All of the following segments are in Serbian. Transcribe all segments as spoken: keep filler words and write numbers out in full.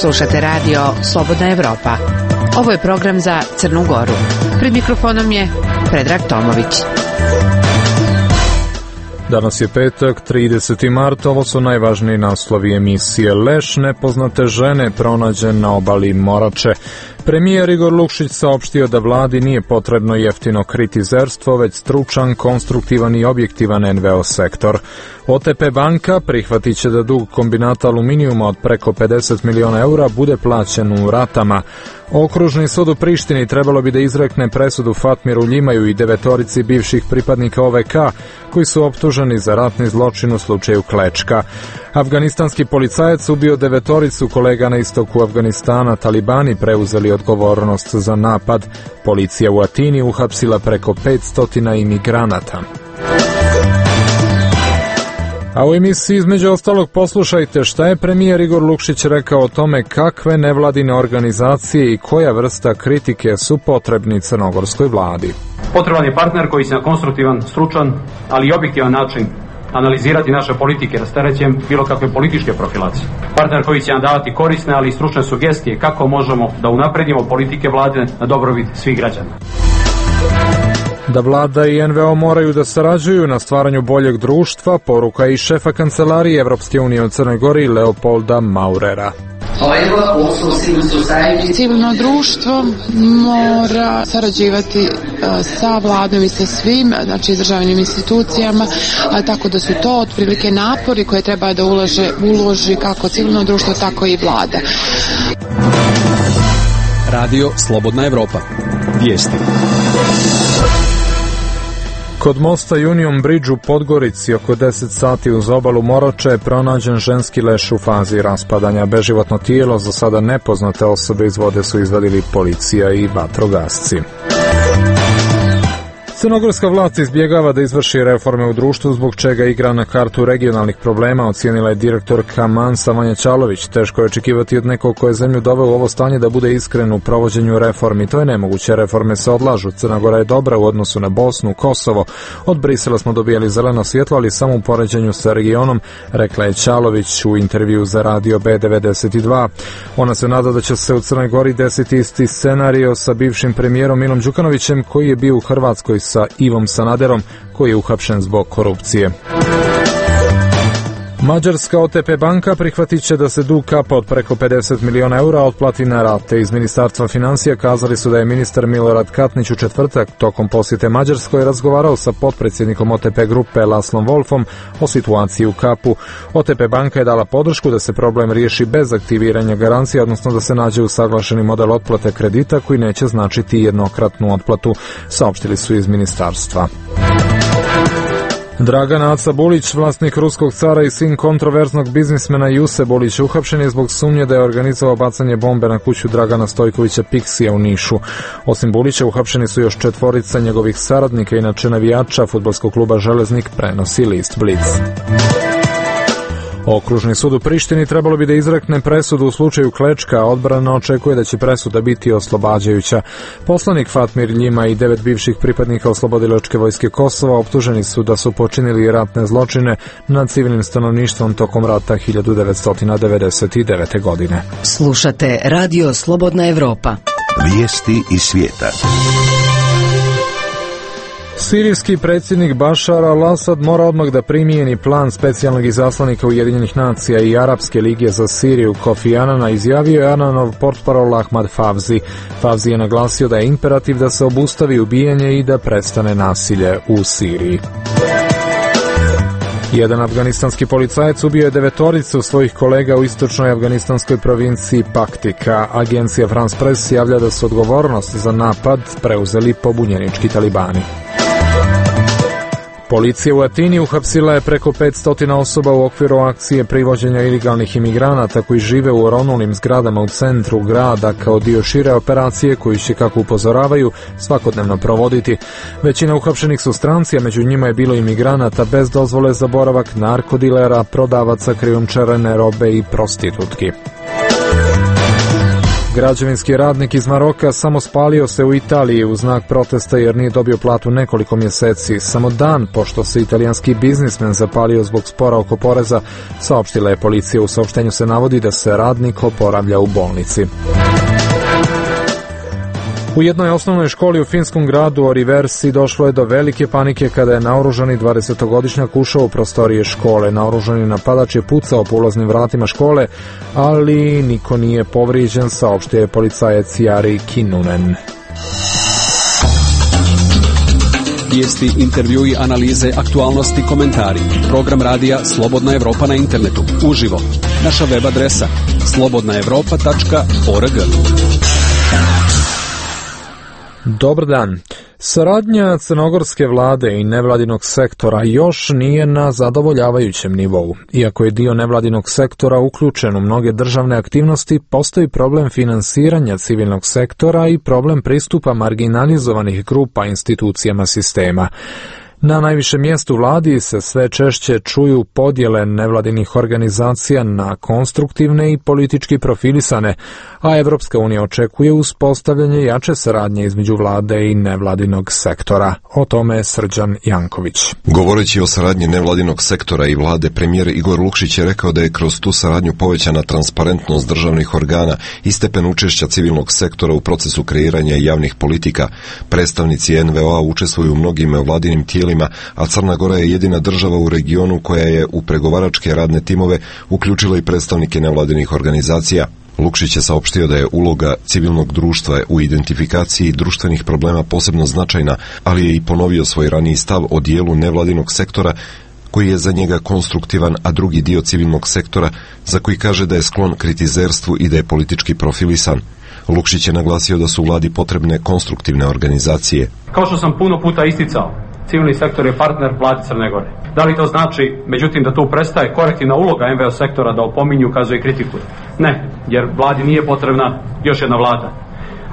Slušate radio Slobodna Evropa. Ovo je program za Crnu Goru. Pred mikrofonom je Predrag Tomović. Danas je petak, trideseti mart, ovo su najvažniji naslovi emisije. Leš nepoznate žene pronađen na obali Morače. Premijer Igor Lukšić saopštio da vladi nije potrebno jeftino kritizerstvo, već stručan, konstruktivan i objektivan en ve o sektor. O te pe banka prihvatit će da dug kombinata aluminijuma od preko pedeset miliona eura bude plaćen u ratama. Okružni sud u Prištini trebalo bi da izrekne presudu Fatmiru Ljimaju i devetorici bivših pripadnika o ve ka koji su optuženi za ratni zločin u slučaju Klečka. Afganistanski policajac ubio devetoricu kolega na istoku Afganistana, talibani preuzeli odgovornost za napad. Policija u Atini uhapsila preko petsto imigranata. A u emisiji između ostalog poslušajte šta je premijer Igor Lukšić rekao o tome kakve nevladine organizacije i koja vrsta kritike su potrebni crnogorskoj vladi. Potreban je partner koji će na konstruktivan, stručan, ali i objektivan način analizirati naše politike rasterećem bilo kakve političke profilacije. Partner koji će nam davati korisne, ali i stručne sugestije kako možemo da unapredimo politike vlade na dobrobit svih građana. Da vlada i en ve o moraju da sarađuju na stvaranju boljeg društva, poruka i šefa kancelarije Evropske unije u Crnoj Gori Leopolda Maurera. Civilno društvo mora sarađivati sa vladom i sa svim, znači državnim institucijama, a tako da su to otprilike napori koje treba da ulože, uloži kako civilno društvo, tako i vlada. Radio Slobodna Evropa. Vijesti. Kod mosta Union Bridge u Podgorici oko deset sati uz obalu Morače je pronađen ženski leš u fazi raspadanja. Beživotno tijelo za sada nepoznate osobe iz vode su izvadili policija i vatrogasci. Crnogorska vlast izbjegava da izvrši reforme u društvu, zbog čega igra na kartu regionalnih problema, ocijenila je direktorka Mansa Vanja Čalović. Teško je očekivati od nekog ko je zemlju doveo u ovo stanje da bude iskren u provođenju reformi. To je nemoguće, reforme se odlažu. Crna Gora je dobra u odnosu na Bosnu, Kosovo. Od Brisela smo dobijali zeleno svjetlo, ali samo u poređenju sa regionom, rekla je Čalović u intervju za radio be devedeset dva. Ona se nada da će se u Crnoj Gori desiti isti scenario sa bivšim premijerom Milom Đukanovićem, koji je bio u Hrvatskoj sa Ivom Sanaderom, koji je uhapšen zbog korupcije. Mađarska o te pe banka prihvatit će da se dug kapa od preko pedeset miliona eura otplati na rate. Iz Ministarstva financija kazali su da je ministar Milorad Katnić u četvrtak tokom posjete Mađarskoj razgovarao sa potpredsjednikom o te pe grupe Laslom Wolfom o situaciji u kapu. o te pe banka je dala podršku da se problem riješi bez aktiviranja garancija, odnosno da se nađe usaglašeni model otplate kredita koji neće značiti jednokratnu otplatu, saopštili su iz ministarstva. Dragan Aca Bulić, vlasnik ruskog cara i sin kontroverznog biznismena Juse Bulić, uhapšen je zbog sumnje da je organizovao bacanje bombe na kuću Dragana Stojkovića Piksija u Nišu. Osim Bulića, uhapšeni su još četvorica njegovih saradnika, inače navijača fudbalskog kluba Železnik, prenosi list Blic. Okružni sud u Prištini trebalo bi da izrekne presudu u slučaju Klečka, a odbrana očekuje da će presuda biti oslobađajuća. Poslanik Fatmir Ljima i devet bivših pripadnika Oslobodilačke vojske Kosova optuženi su da su počinili ratne zločine nad civilnim stanovništvom tokom rata hiljadu devetsto devedeset devete. godine. Slušate Radio Slobodna Evropa. Vijesti iz svijeta. Sirijski predsjednik Bašar al-Asad mora odmah da primijeni plan specijalnog izaslanika Ujedinjenih nacija i Arapske lige za Siriju Kofi Anana, izjavio je Ananov portparol Ahmad Favzi. Favzi je naglasio da je imperativ da se obustavi ubijanje i da prestane nasilje u Siriji. Jedan afganistanski policajac ubio je devetoricu svojih kolega u istočnoj afganistanskoj provinciji Paktika. Agencija France Press javlja da su odgovornost za napad preuzeli pobunjenički talibani. Policija u Atini uhapsila je preko petsto osoba u okviru akcije privođenja ilegalnih imigranata koji žive u oronulim zgradama u centru grada kao dio šire operacije koju će, kako upozoravaju, svakodnevno provoditi. Većina uhapšenih su stranci, a među njima je bilo imigranata bez dozvole za boravak, narkodilera, prodavaca krijumčarene robe i prostitutki. Građevinski radnik iz Maroka samo spalio se u Italiji u znak protesta jer nije dobio platu nekoliko mjeseci. Samo dan pošto se italijanski biznismen zapalio zbog spora oko poreza, saopštila je policija. U saopštenju se navodi da se radnik oporavlja u bolnici. U jednoj osnovnoj školi u finskom gradu Oriversi došlo je do velike panike kada je naoružani dvadesetogodišnjak ušao u prostorije škole. Naoružani napadač je pucao po ulaznim vratima škole, ali niko nije povrijeđen, saopštio je policajac Jari Kinnunen. Vijesti, intervjui, analize, aktualnosti, komentari. Program radija Slobodna Evropa na internetu. Uživo. Naša web adresa slobodna evropa tačka org. Dobar dan. Saradnja crnogorske vlade i nevladinog sektora još nije na zadovoljavajućem nivou. Iako je dio nevladinog sektora uključen u mnoge državne aktivnosti, postoji problem finansiranja civilnog sektora i problem pristupa marginalizovanih grupa institucijama sistema. Na najvišem mjestu vladi se sve češće čuju podjele nevladinih organizacija na konstruktivne i politički profilisane, a Evropska unija očekuje uspostavljanje jače saradnje između vlade i nevladinog sektora. O tome je Srđan Janković. Govoreći o saradnji nevladinog sektora i vlade, premijer Igor Lukšić je rekao da je kroz tu saradnju povećana transparentnost državnih organa i stepen učešća civilnog sektora u procesu kreiranja javnih politika. Predstavnici en ve o-a učestvuju u mnogim vladinim tijelima, a Crna Gora je jedina država u regionu koja je u pregovaračke radne timove uključila i predstavnike nevladinih organizacija. Lukšić je saopštio da je uloga civilnog društva u identifikaciji društvenih problema posebno značajna, ali je i ponovio svoj raniji stav o dijelu nevladinog sektora koji je za njega konstruktivan, a drugi dio civilnog sektora za koji kaže da je sklon kritizerstvu i da je politički profilisan. Lukšić je naglasio da su vladi potrebne konstruktivne organizacije. Kao što sam puno puta isticao, civilni sektor je partner vladi Crne Gore. Da li to znači, međutim, da tu prestaje korektivna uloga en ve o sektora da opominju, ukazuje i kritikuje? Ne, jer vladi nije potrebna još jedna vlada.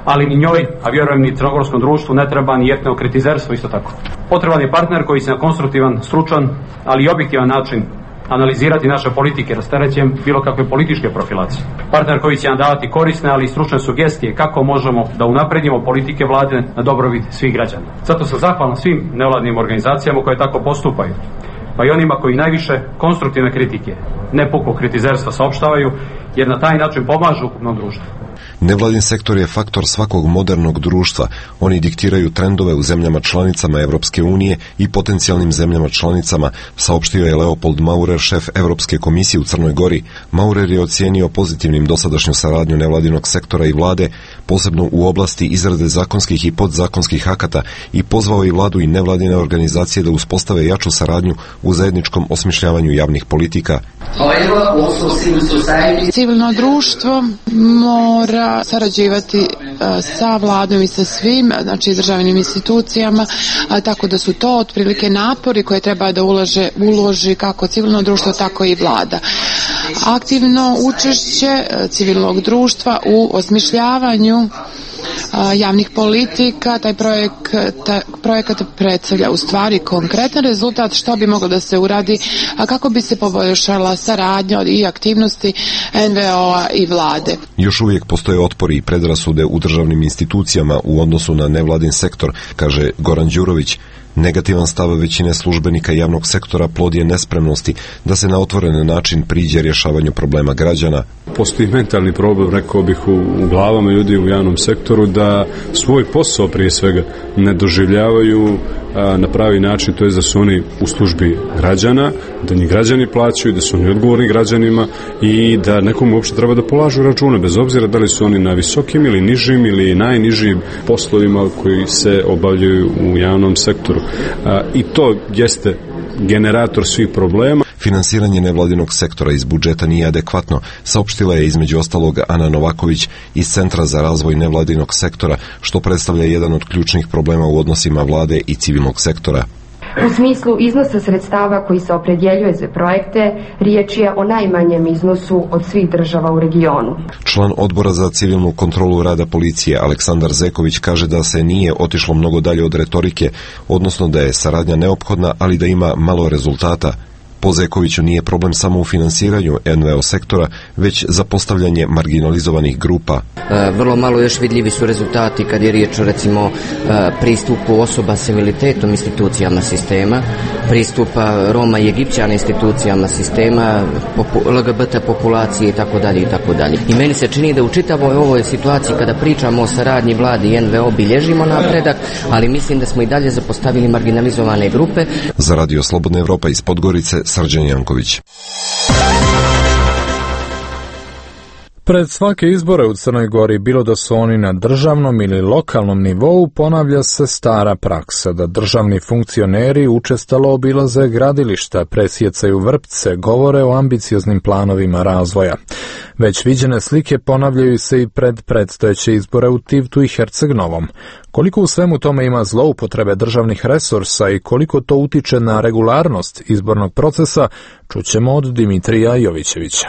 Ali ni njoj, a vjerujem ni crnogorskom društvu, ne treba ni etno kritizerstvo isto tako. Potreban je partner koji se na konstruktivan, stručan, ali i objektivan način analizirati naše politike rasterećem bilo kakve političke profilacije. Partner koji će nam davati korisne, ali i stručne sugestije kako možemo da unapredimo politike vlade na dobrobit svih građana. Zato sam zahvalan svim nevladnim organizacijama koje tako postupaju, pa i onima koji najviše konstruktivne kritike, ne puko kritizerstva, saopštavaju, jer na taj način pomažu ukupnom društvu. Nevladin sektor je faktor svakog modernog društva. Oni diktiraju trendove u zemljama članicama Evropske unije i potencijalnim zemljama članicama, saopštio je Leopold Maurer, šef Evropske komisije u Crnoj Gori. Maurer je ocijenio pozitivnim dosadašnju saradnju nevladinog sektora i vlade, posebno u oblasti izrade zakonskih i podzakonskih akata, i pozvao i vladu i nevladine organizacije da uspostave jaču saradnju u zajedničkom osmišljavanju javnih politika. Civilno društvo mora sarađivati sa vladom i sa svim, znači državnim institucijama, tako da su to otprilike napori koje treba da ulaže, uloži kako civilno društvo, tako i vlada. Aktivno učešće civilnog društva u osmišljavanju javnih politika, taj projekt, taj projekat predstavlja u stvari konkretan rezultat što bi moglo da se uradi, a kako bi se poboljšala saradnja i aktivnosti en ve o-a i vlade. Još uvijek postoje otpori i predrasude u državnim institucijama u odnosu na nevladin sektor, kaže Goran Đurović. Negativan stav većine službenika javnog sektora plod je nespremnosti da se na otvoren način priđe rješavanju problema građana. Postoji mentalni problem, rekao bih, u, u glavama ljudi u javnom sektoru da svoj posao prije svega ne doživljavaju a, na pravi način, to je da su oni u službi građana, da njih građani plaćaju, da su oni odgovorni građanima i da nekom uopšte treba da polažu račune, bez obzira da li su oni na visokim ili nižim ili najnižim poslovima koji se obavljaju u javnom sektoru. A, i to jeste generator svih problema. Finansiranje nevladinog sektora iz budžeta nije adekvatno, saopštila je između ostalog Ana Novaković iz Centra za razvoj nevladinog sektora, što predstavlja jedan od ključnih problema u odnosima vlade i civilnog sektora. U smislu iznosa sredstava koji se opredjeljuje za projekte, riječ je o najmanjem iznosu od svih država u regionu. Član odbora za civilnu kontrolu rada policije Aleksandar Zeković kaže da se nije otišlo mnogo dalje od retorike, odnosno da je saradnja neophodna, ali da ima malo rezultata. Po Zekoviću nije problem samo u finansiranju en ve o sektora, već za postavljanje marginalizovanih grupa. E, vrlo malo još vidljivi su rezultati kad je riječ o recimo e, pristupu osoba s invaliditetom institucijama sistema, pristupa Roma i Egipćana institucijama sistema, popu, el ge be te populacije i tako dalje i tako dalje. I meni se čini da u čitavoj ovoj situaciji kada pričamo o saradnji vladi i en ve o bilježimo napredak, ali mislim da smo i dalje zapostavili marginalizovane grupe. Za Radio Slobodna Evropa iz Podgorice, Srđan Janković. Pred svake izbore u Crnoj Gori, bilo da su oni na državnom ili lokalnom nivou, ponavlja se stara praksa da državni funkcioneri učestalo obilaze gradilišta, presjecaju vrpce, govore o ambicioznim planovima razvoja. Već viđene slike ponavljaju se i pred predstojeće izbore u Tivtu i Herceg Novom. Koliko u svemu tome ima zloupotrebe državnih resursa i koliko to utiče na regularnost izbornog procesa, čućemo od Dimitrija Jovićevića.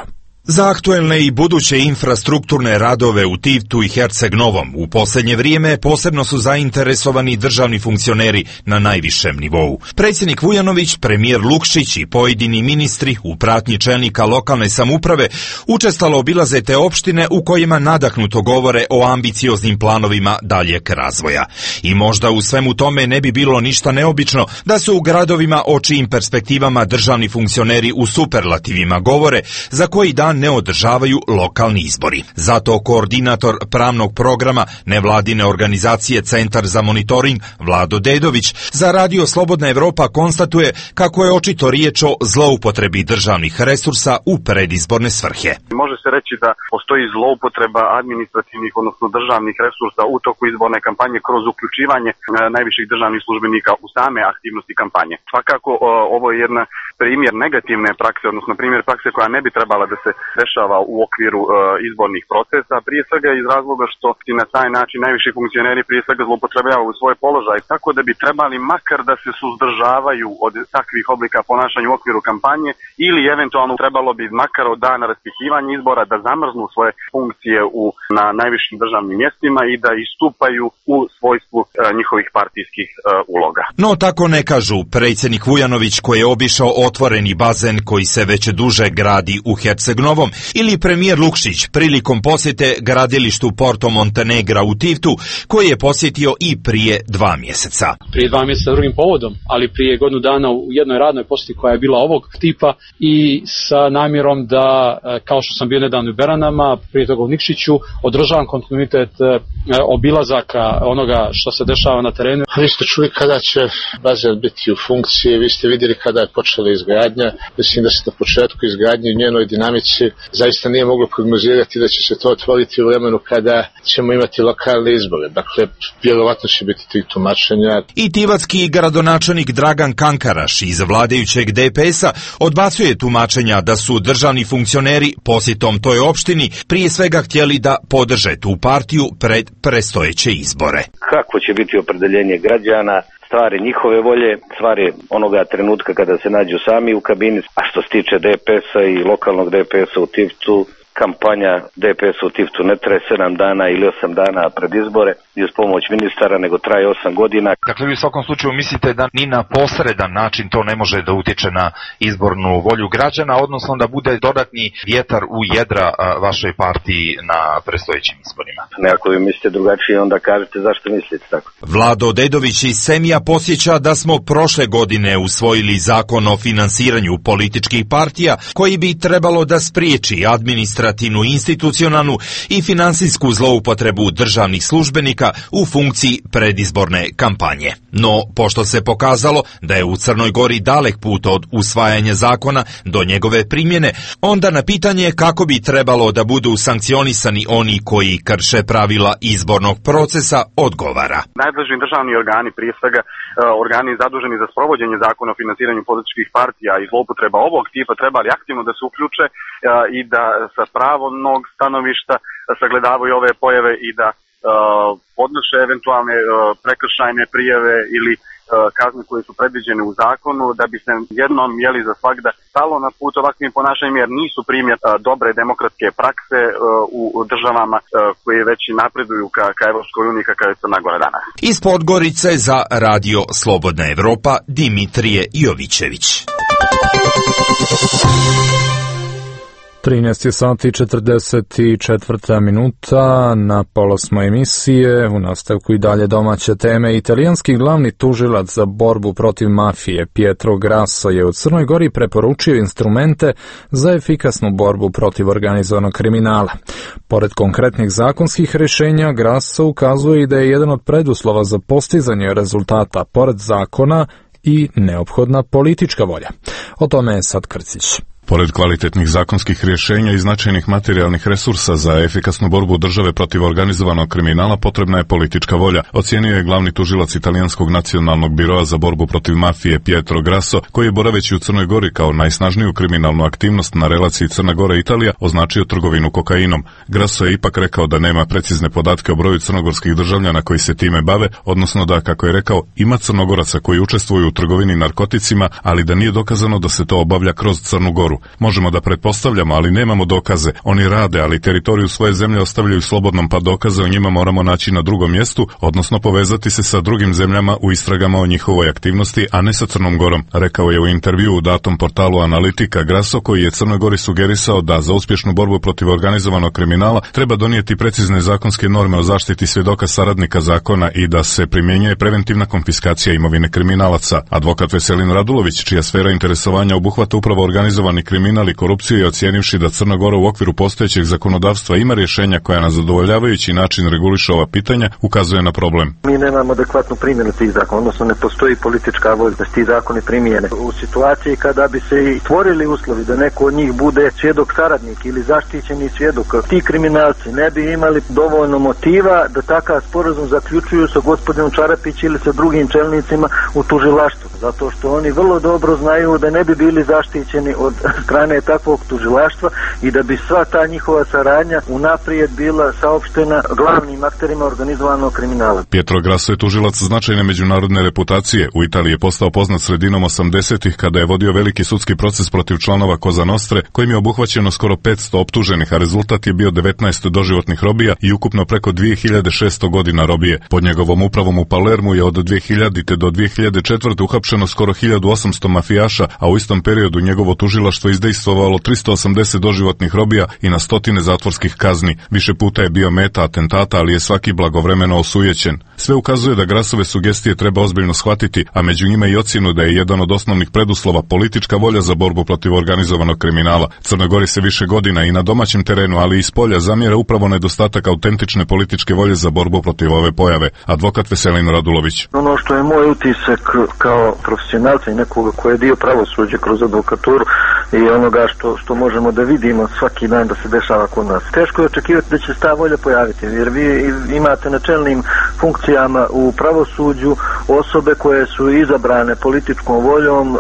Za aktuelne i buduće infrastrukturne radove u Tivtu i Herceg Novom u posljednje vrijeme posebno su zainteresovani državni funkcioneri na najvišem nivou. Predsjednik Vujanović, premijer Lukšić i pojedini ministri u pratnji čelnika lokalne samouprave učestalo obilaze te opštine u kojima nadahnuto govore o ambicioznim planovima daljeg razvoja. I možda u svemu tome ne bi bilo ništa neobično da su u gradovima o čijim perspektivama državni funkcioneri u superlativima govore, za koji dan ne održavaju lokalni izbori. Zato koordinator pravnog programa nevladine organizacije Centar za monitoring Vlado Dedović za Radio Slobodna Evropa konstatuje kako je očito riječ o zloupotrebi državnih resursa u predizborne svrhe. Može se reći da postoji zloupotreba administrativnih, odnosno državnih resursa u toku izborne kampanje kroz uključivanje najviših državnih službenika u same aktivnosti kampanje. Svakako ovo je jedna primjer negativne prakse, odnosno primjer prakse koja ne bi trebala da se dešava u okviru e, izbornih procesa, prije svega iz razloga što ti na taj način najviši funkcioneri prije svega zloupotrebljavaju svoj položaj, tako da bi trebali makar da se suzdržavaju od takvih oblika ponašanja u okviru kampanje ili eventualno trebalo bi makar od dana raspisivanja izbora da zamrznu svoje funkcije u, na najvišim državnim mjestima i da istupaju u svojstvu e, njihovih partijskih e, uloga. No tako ne kažu predsjednik Vujanović koji je obišao otvoreni bazen koji se već duže gradi u Herceg Novom ili premijer Lukšić prilikom posjete gradilištu Porto Montenegra u Tivtu koji je posjetio i prije dva mjeseca. Prije dva mjeseca drugim povodom, ali prije godinu dana u jednoj radnoj posjeti koja je bila ovog tipa i sa namjerom da, kao što sam bio nedavno u Beranama, prije toga u Nikšiću, održavam kontinuitet obilazaka onoga što se dešava na terenu. Vi ste čuli kada će bazen biti u funkciji, vi ste vidjeli kada je počela izgradnja. Mislim da se na početku izgradnje i njenoj dinamici zaista nije moglo prognozirati da će se to otvoriti u vremenu kada ćemo imati lokalne izbore. Dakle, vjerovatno će biti tih tumačenja. I tivatski gradonačelnik Dragan Kankaraš iz vladajućeg de pe es-a odbacuje tumačenja da su državni funkcioneri posjetom toj opštini prije svega htjeli da podrže tu partiju pred predstojeće izbore. Kako će biti opredeljenje građana? Stvari njihove volje, stvari onoga trenutka kada se nađu sami u kabini, a što se tiče de pe es-a i lokalnog de pe es-a u Tivtu, kampanja de pe es-a u Tivtu ne traje sedam dana ili osam dana pred izbore i uz pomoć ministara, nego traje osam godina. Dakle, vi u svakom slučaju mislite da ni na posredan način to ne može da utječe na izbornu volju građana, odnosno da bude dodatni vjetar u jedra vašoj partiji na predstojećim izborima? Ne, ako vi mislite drugačije, onda kažete zašto mislite tako. Vlado Dedović iz Semija posjeća da smo prošle godine usvojili zakon o finansiranju političkih partija koji bi trebalo da spriječi administrativnu, institucionalnu i finansijsku zloupotrebu državnih službenika u funkciji predizborne kampanje. No, pošto se pokazalo da je u Crnoj Gori dalek put od usvajanja zakona do njegove primjene, onda na pitanje kako bi trebalo da budu sankcionisani oni koji krše pravila izbornog procesa odgovara. Nadležni državni organi, prije svega organi zaduženi za sprovođenje zakona o finansiranju političkih partija i zloupotreba ovog tipa trebali aktivno da se uključe i da sa pravnog stanovišta sagledavaju ove pojave i da podnoše eventualne prekršajne prijave ili kazne koje su predviđene u zakonu da bi se jednom jeli za svagda stalo na put ovakvim ponašanjima jer nisu primjer dobre demokratske prakse u državama koje već napreduju ka, ka Evropskoj uniji kakav je Crna Gora danas. Iz Podgorice za Radio Slobodna Evropa Dimitrije Jovićević. trinaest sati četrdeset četiri minuta, na pola smo emisije, u nastavku i dalje domaće teme. Italijanski glavni tužilac za borbu protiv mafije Pietro Grasso je u Crnoj Gori preporučio instrumente za efikasnu borbu protiv organizovanog kriminala. Pored konkretnih zakonskih rješenja, Grasso ukazuje i da je jedan od preduslova za postizanje rezultata pored zakona i neophodna politička volja. O tome je Sad Krcić. Pored kvalitetnih zakonskih rješenja i značajnih materijalnih resursa za efikasnu borbu države protiv organizovanog kriminala, potrebna je politička volja, ocijenio je glavni tužilac Italijanskog nacionalnog biroa za borbu protiv mafije Pietro Grasso, koji je boraveći u Crnoj Gori kao najsnažniju kriminalnu aktivnost na relaciji Crna Gora-Italija označio trgovinu kokainom. Grasso je ipak rekao da nema precizne podatke o broju crnogorskih državljana koji se time bave, odnosno da, kako je rekao, ima Crnogoraca koji učestvuju u trgovini narkoticima, ali da nije dokazano da se to obavlja kroz Crnu Goru. Možemo da pretpostavljamo, ali nemamo dokaze. Oni rade, ali teritoriju svoje zemlje ostavljaju slobodnom, pa dokaze o njima moramo naći na drugom mjestu, odnosno povezati se sa drugim zemljama u istragama o njihovoj aktivnosti, a ne sa Crnom Gorom, rekao je u intervju u datom portalu Analitika Grasso, koji je Crnoj Gori sugerisao da za uspješnu borbu protiv organizovanog kriminala treba donijeti precizne zakonske norme o zaštiti svjedoka saradnika zakona i da se primjenjuje preventivna konfiskacija imovine kriminalaca. Advokat Veselin Radulović, čija sfera interesovanja obuhvata upravo organizovani kriminal i korupciju, je ocijenivši da Crna Gora u okviru postojećeg zakonodavstva ima rješenja koja na zadovoljavajući način reguliše ova pitanja, ukazuje na problem. Mi nemamo adekvatnu primjenu tih zakona, odnosno ne postoji politička volja da se ti zakoni primijene. U situaciji kada bi se i stvorili uslovi da neko od njih bude svjedok saradnik ili zaštićeni svjedok, ti kriminalci ne bi imali dovoljno motiva da takav sporazum zaključuju sa gospodinom Čarapić ili sa drugim čelnicima u tužilaštvu, zato što oni vrlo dobro znaju da ne bi bili zaštićeni od strane takvog tužilaštva i da bi sva ta njihova saradnja unaprijed bila saopštena glavnim akterima organizovanog kriminala. Pietro Grasso je tužilac značajne međunarodne reputacije. U Italiji je postao poznat sredinom osamdesetih kada je vodio veliki sudski proces protiv članova Cosa Nostre, kojim je obuhvaćeno skoro petsto optuženih, a rezultat je bio devetnaest doživotnih robija i ukupno preko dvije hiljade šesto godina robije. Pod njegovom upravom u Palermu je od dvije hiljadite do dvije hiljade četvrte uhapšeno skoro hiljadu osamsto mafijaša, a u istom periodu njegovo tužilaštvo izdejstvovalo tristo osamdeset doživotnih robija i na stotine zatvorskih kazni. Više puta je bio meta atentata, ali je svaki blagovremeno osujećen. Sve ukazuje da Grassove sugestije treba ozbiljno shvatiti, a među njima i ocjenu da je jedan od osnovnih preduslova politička volja za borbu protiv organizovanog kriminala. Crnoj Gori se više godina i na domaćem terenu, ali i s polja zamjera upravo nedostatak autentične političke volje za borbu protiv ove pojave. Advokat Veselin Radulović. Ono što je moj utisak kao profesionalca i nekoga koji je dio pravosuđa kroz advokaturu i onoga što, što možemo da vidimo svaki dan da se dešava kod nas. Teško je očekivati da će se ta volja pojaviti, jer vi imate na čelnim funkcijama u pravosuđu osobe koje su izabrane političkom voljom, e,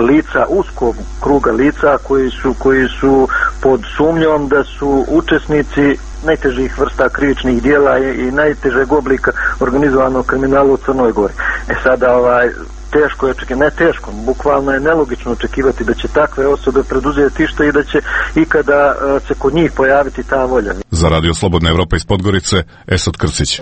lica, uskog kruga lica koji su, koji su pod sumnjom da su učesnici najtežih vrsta krivičnih dijela i, i najtežeg oblika organizovanog kriminala u Crnoj Gori. E sada ovaj teško je očekivati, ne teško, bukvalno je nelogično očekivati da će takve osobe preduzeti išta i da će ikada uh, se kod njih pojaviti ta volja. Za Radio Slobodna Evropa iz Podgorice, Esad Krcić.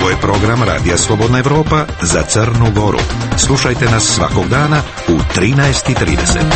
Ovo je program Radija Slobodna Evropa za Crnu Goru. Slušajte nas svakog dana u trinaest i trideset.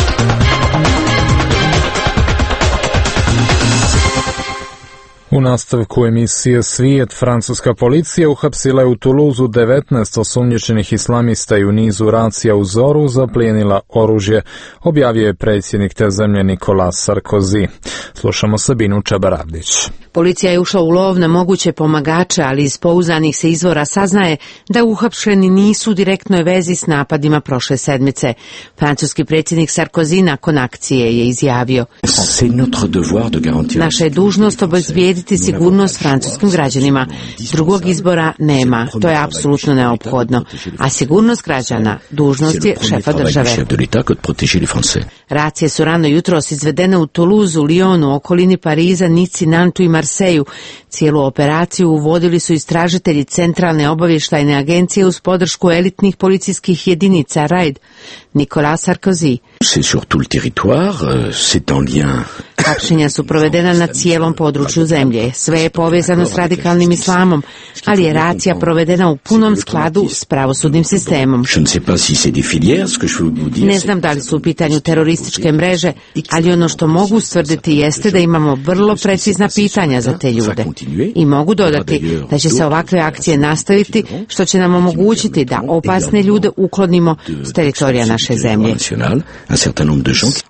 U nastavku emisije Svijet, francuska policija uhapsila je u Tuluzu devetnaest osumnjičenih islamista i u nizu racija u Zoru zaplijenila oružje, objavio je predsjednik te zemlje Nicolas Sarkozy. Slušamo Sabinu Čabarabdić. Policija je ušla u lov na moguće pomagače, ali iz pouzdanih se izvora saznaje da uhapšeni nisu u direktnoj vezi s napadima prošle sedmice. Francuski predsjednik Sarkozy nakon akcije je izjavio: naša je dužnost obezbijediti sigurnost francuskim građanima. Drugog izbora nema, to je apsolutno neophodno. A sigurnost građana dužnost je šefa države. Racije su rano jutros izvedene u Toulouse, Lyonu, okolini Pariza, Nici, Nantu i Marseju. Cijelu operaciju uvodili su istražitelji Centralne obavještajne agencije uz podršku elitnih policijskih jedinica R A I D. Nicolas Sarkozy. C'est sur tout le territoire, c'est en lien. Hapšenja su provedena na cijelom području zemlje. Sve je povezano s radikalnim islamom, ali je racija provedena u punom skladu s pravosudnim sistemom. Ne znam da li su u pitanju terorističke mreže, ali ono što mogu stvrditi jeste da imamo vrlo precizna pitanja za te ljude. I mogu dodati da će se ovakve akcije nastaviti, što će nam omogućiti da opasne ljude uklonimo s teritorija naše zemlje.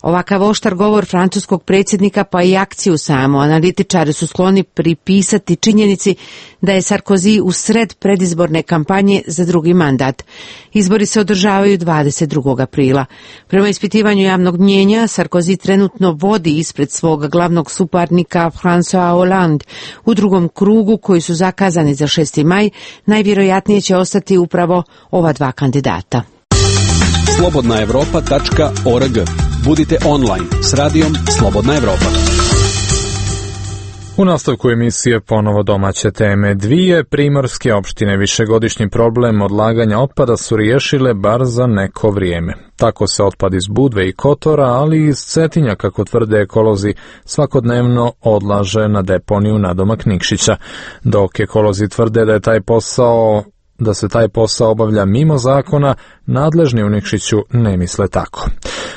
Ovakav oštar govor francuskog predsjednika pa i akciju samo analitičari su skloni pripisati činjenici da je Sarkozy u sred predizborne kampanje za drugi mandat. Izbori se održavaju dvadeset drugog aprila. Prema ispitivanju javnog mnjenja, Sarkozy trenutno vodi ispred svog glavnog suparnika François Hollande. U drugom krugu, koji su zakazani za šesti maj, najvjerojatnije će ostati upravo ova dva kandidata. slobodna evropa tačka org. Budite online s radijom Slobodna Evropa. U nastavku emisije ponovo domaće teme. Dvije primorske opštine višegodišnji problem odlaganja otpada su riješile bar za neko vrijeme. Tako se otpad iz Budve i Kotora, ali i iz Cetinja, kako tvrde ekolozi, svakodnevno odlaže na deponiju nadomak Nikšića. Dok ekolozi tvrde da je taj posao da se taj posao obavlja mimo zakona, nadležni u Nikšiću ne misle tako.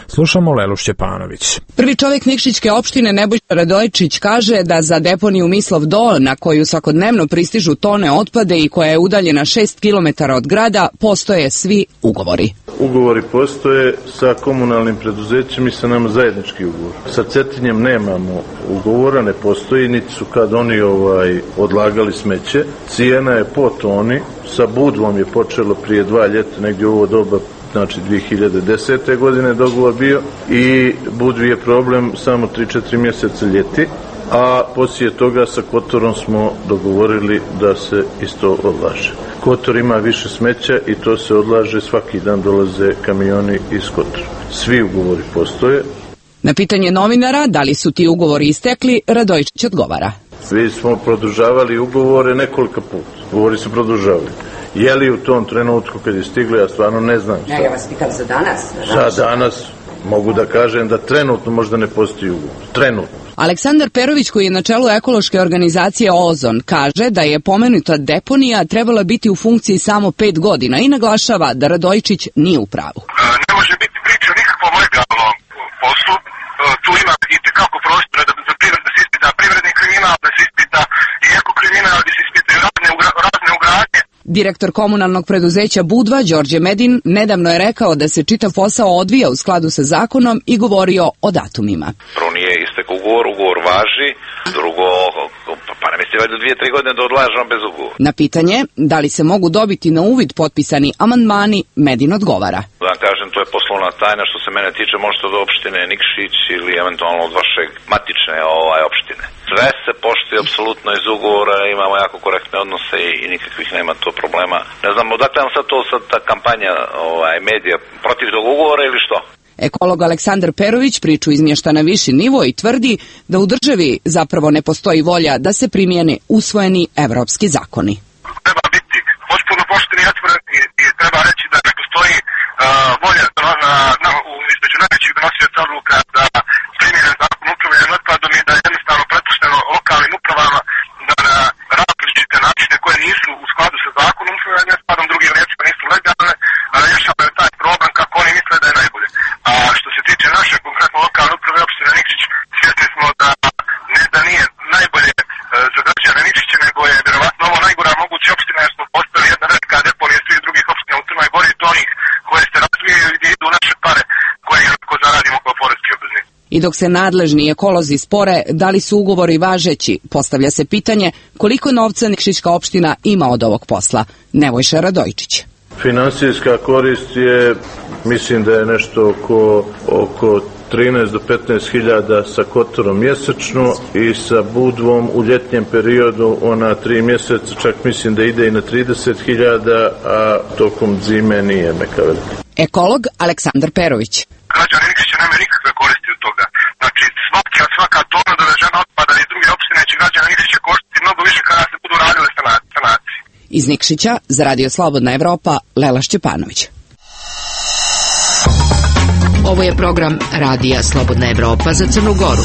Slušamo Lelu Šćepanović. Prvi čovjek Nikšićke opštine Nebojša Radojčić kaže da za deponiju Mislov Do, na koju svakodnevno pristižu tone otpade i koja je udaljena šest kilometara od grada, postoje svi ugovori. Ugovori postoje sa komunalnim preduzećem i sa nama zajednički ugovor. Sa Cetinjem nemamo ugovora, ne postoji, niti su kad oni ovaj odlagali smeće. Cijena je po toni, sa Budvom je počelo prije dva ljeta, negdje u ovo doba, znači dvije hiljade desete. godine dogovor bio, i Budvi je problem samo tri četiri mjeseca ljeti, a poslije toga sa Kotorom smo dogovorili da se isto odlaže. Kotor ima više smeća i to se odlaže, svaki dan dolaze kamioni iz Kotora. Svi ugovori postoje. Na pitanje novinara da li su ti ugovori istekli, Radojčić odgovara. Svi smo produžavali ugovore nekoliko puta. Ugovori su produžavali. Je li u tom trenutku kad je stiglo, ja stvarno ne znam šta. Ne, ja vas pitam za danas. Za danas mogu da kažem da trenutno možda ne postoji ugovor. Trenutno. Aleksandar Perović, koji je na čelu ekološke organizacije Ozon, kaže da je pomenuta deponija trebala biti u funkciji samo pet godina i naglašava da Radojčić nije u pravu. Ne može biti priča nikakvom legalnom poslu. Tu ima i tekako prostora da, da se ispita privredni kriminal, da se ispita i ekokriminal, da se ispitaju razne, razne ugradnje. Direktor komunalnog preduzeća Budva, Đorđe Medin, nedavno je rekao da se čitav posao odvija u skladu sa zakonom i govorio o datumima. Prvo nije istek ugovor, ugovor važi, drugo, pa ne misli valjda dvije, tri godine da odlažemo bez ugovora. Na pitanje da li se mogu dobiti na uvid potpisani amandmani, Medin odgovara. Da vam kažem, to je poslovna tajna, što se mene tiče, možete od opštine Nikšić ili eventualno od vašeg matične ovaj opštine. Sve se poštuje apsolutno iz ugovora, imamo jako korektne odnose i nikakvih nema to problema. Ne znam, odakle nam sad to sad ta kampanja ovaj, medija protiv tog ugovora ili što? Ekolog Aleksandar Perović priču izmješta na viši nivo i tvrdi da u državi zapravo ne postoji volja da se primijene usvojeni evropski zakoni. Treba biti potpuno pošteni i otvoreni i treba reći da ne postoji uh, volja na, na, na, između najvećih donosioca odluka da primjene zakon upravljanja otpadom i da je jednostavno prepušteno lokalnim upravama da na različite načine koje nisu u skladu sa zakonom upravljanja otpadom, drugim riječima nisu legalne, rješavaju taj problem kako oni misle da je najbolje. A što se tiče naše konkretno lokalne uprave opštine Nikšić, svjesni smo da ne da nije najbolje e, za građane Nikšića, nego je vjerovatno ovo najgora moguća opština, jer smo postavili jedna velika deponija svih drugih opština u Crnoj Gori, i to onih koje se razvijaju i gdje idu naše pare koje jednako zaradimo kao poreski obveznik. I dok se nadležni ekolozi spore da li su ugovori važeći, postavlja se pitanje koliko novca Nikšićka opština ima od ovog posla. Nebojša Radojčić. Finansijska korist je, mislim da je nešto oko, oko trinaest do petnaest hiljada sa Kotorom mjesečno i sa Budvom u ljetnjem periodu ona tri mjeseca, čak mislim da ide i na trideset hiljada, a tokom zime nije neka velika. Ekolog Aleksandar Perović. Građani Nikšića nema nikakve koristi od toga. Znači svaka, svaka tona dovežena otpada iz druge opštine će građana Nikšića koštiti mnogo više kada se budu radile sanacije. Iz Nikšića za Radio Slobodna Evropa, Lela Šćepanović. Ovo je program Radija Slobodna Evropa za Crnu Goru.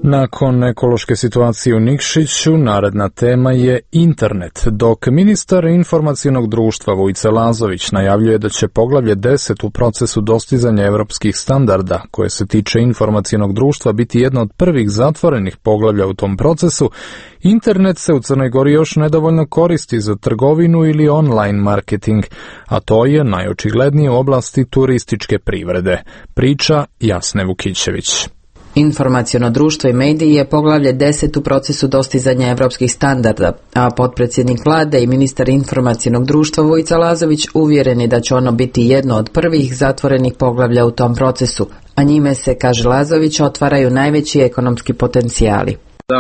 Nakon ekološke situacije u Nikšiću, naredna tema je internet, dok ministar informacionog društva Vujica Lazović najavljuje da će poglavlje deset u procesu dostizanja evropskih standarda, koje se tiče informacionog društva, biti jedno od prvih zatvorenih poglavlja u tom procesu. Internet se u Crnoj Gori još nedovoljno koristi za trgovinu ili online marketing, a to je najočiglednije u oblasti turističke privrede. Priča Jasne Vukićević. Informaciono društvo i mediji je poglavlje deset u procesu dostizanja evropskih standarda, a potpredsjednik vlade i ministar informacionog društva Vujica Lazović uvjereni da će ono biti jedno od prvih zatvorenih poglavlja u tom procesu, a njime se, kaže Lazović, otvaraju najveći ekonomski potencijali.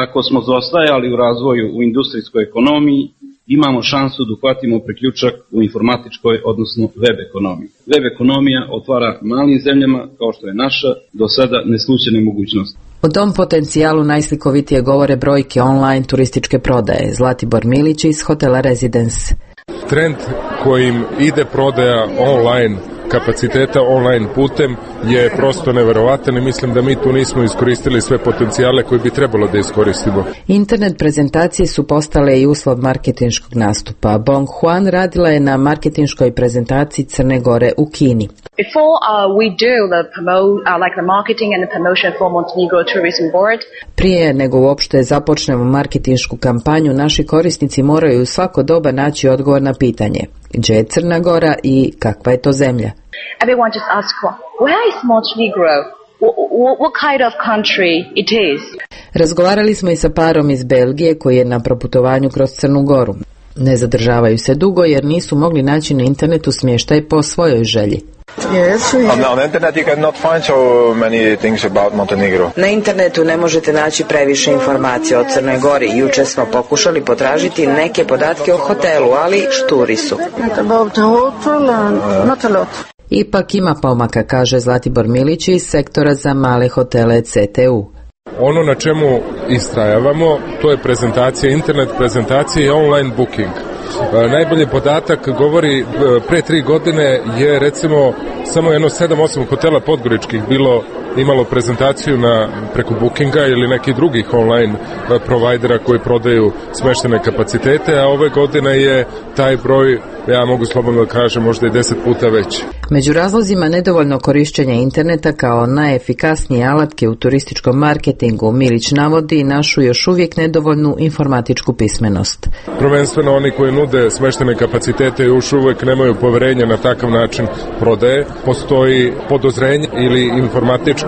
Ako smo zaostajali u razvoju u industrijskoj ekonomiji, imamo šansu da uhvatimo priključak u informatičkoj, odnosno web ekonomiji. Web ekonomija otvara malim zemljama, kao što je naša, do sada neslućene mogućnosti. O tom potencijalu najslikovitije govore brojke online turističke prodaje. Zlatibor Milić iz hotela Residence. Trend kojim ide prodaja online kapaciteta online putem je prosto neverovatan i mislim da mi tu nismo iskoristili sve potencijale koje bi trebalo da iskoristimo. Internet prezentacije su postale i uslov marketinškog nastupa. Bong Huan radila je na marketinškoj prezentaciji Crne Gore u Kini. Before uh, we do the promote uh, like the marketing and the promotion for Montenegro Tourism Board. Prije nego uopšte započnemo marketinšku kampanju, naši korisnici moraju u svako doba naći odgovor na pitanje: gdje je Crna Gora i kakva je to zemlja? Everyone just asks, where is Montenegro? What, what kind of country it is? Razgovarali smo i sa parom iz Belgije koji je na proputovanju kroz Crnu Goru. Ne zadržavaju se dugo jer nisu mogli naći na internetu smještaj po svojoj želji. Yes, on, on internet you cannot find so many things about Montenegro. Na internetu ne možete naći previše informacija o Crnoj Gori. Juče smo pokušali potražiti neke podatke o hotelu, ali šturi su. About the hotel, not a lot. Ipak ima pomaka, kaže Zlatibor Milić iz sektora za male hotele C T U. Ono na čemu istrajavamo, to je prezentacija, internet prezentacija i online booking. Najbolji podatak govori pre tri godine je recimo samo jedno sedam osam hotela podgoričkih bilo imalo prezentaciju na preko Bookinga ili nekih drugih online provajdera koji prodaju smeštene kapacitete, a ove godine je taj broj, ja mogu slobodno da kažem, možda i deset puta veći. Među razlozima nedovoljno korišćenja interneta kao najefikasnije alatke u turističkom marketingu Milić navodi našu još uvijek nedovoljnu informatičku pismenost. Prvenstveno oni koji nude smeštene kapacitete još uvijek nemaju poverenja na takav način prodaje. Postoji podozrenje ili informatička,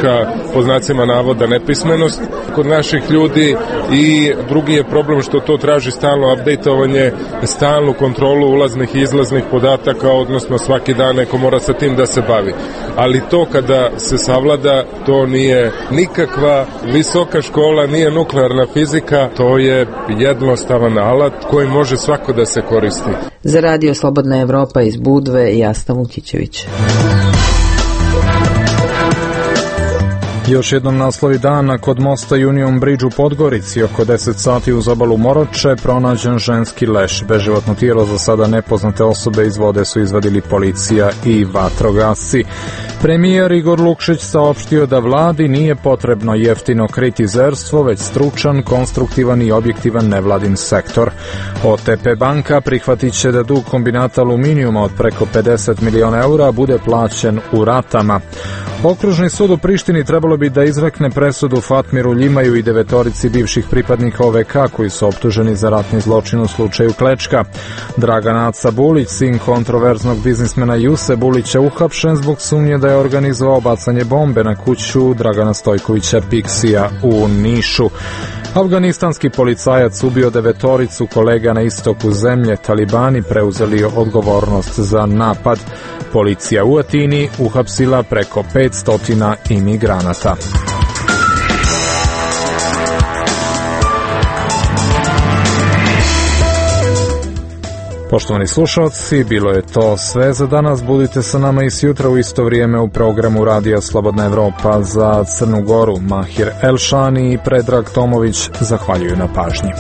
po znacima navoda, nepismenost kod naših ljudi i drugi je problem što to traži stalno updateovanje, stalnu kontrolu ulaznih i izlaznih podataka, odnosno svaki dan neko mora sa tim da se bavi. Ali to kada se savlada, to nije nikakva visoka škola, nije nuklearna fizika, to je jednostavan alat koji može svako da se koristi. Za Radio Slobodna Evropa iz Budve, Jasna Vukićević. Još jednom naslovi dana: kod mosta Union Bridge u Podgorici oko deset sati uz obalu Moroče pronađen ženski leš. Beživotno tijelo za sada nepoznate osobe iz vode su izvadili policija i vatrogasci. Premijer Igor Lukšić saopštio da vladi nije potrebno jeftino kritizerstvo, već stručan, konstruktivan i objektivan nevladin sektor. O T P banka prihvatit će da dug kombinata aluminijuma od preko pedeset miliona eura bude plaćen u ratama. Okružni sud u Prištini trebalo bi da izrekne presudu Fatmiru Ljimaju i devetorici bivših pripadnika O V K koji su optuženi za ratni zločin u slučaju Klečka. Dragan Aca Bulić, sin kontroverznog biznismena Juse Bulića, uhapšen zbog sumnje da je organizovao bacanje bombe na kuću Dragana Stojkovića Piksija u Nišu. Afganistanski policajac ubio devetoricu kolega na istoku zemlje. Talibani preuzeli odgovornost za napad. Policija u Atini uhapsila preko petsto imigranata. Poštovani slušalci, bilo je to sve za danas. Budite sa nama i sjutra u isto vrijeme u programu Radija Slobodna Evropa. Za Crnu Goru Mahir Elšani i Predrag Tomović zahvaljuju na pažnji.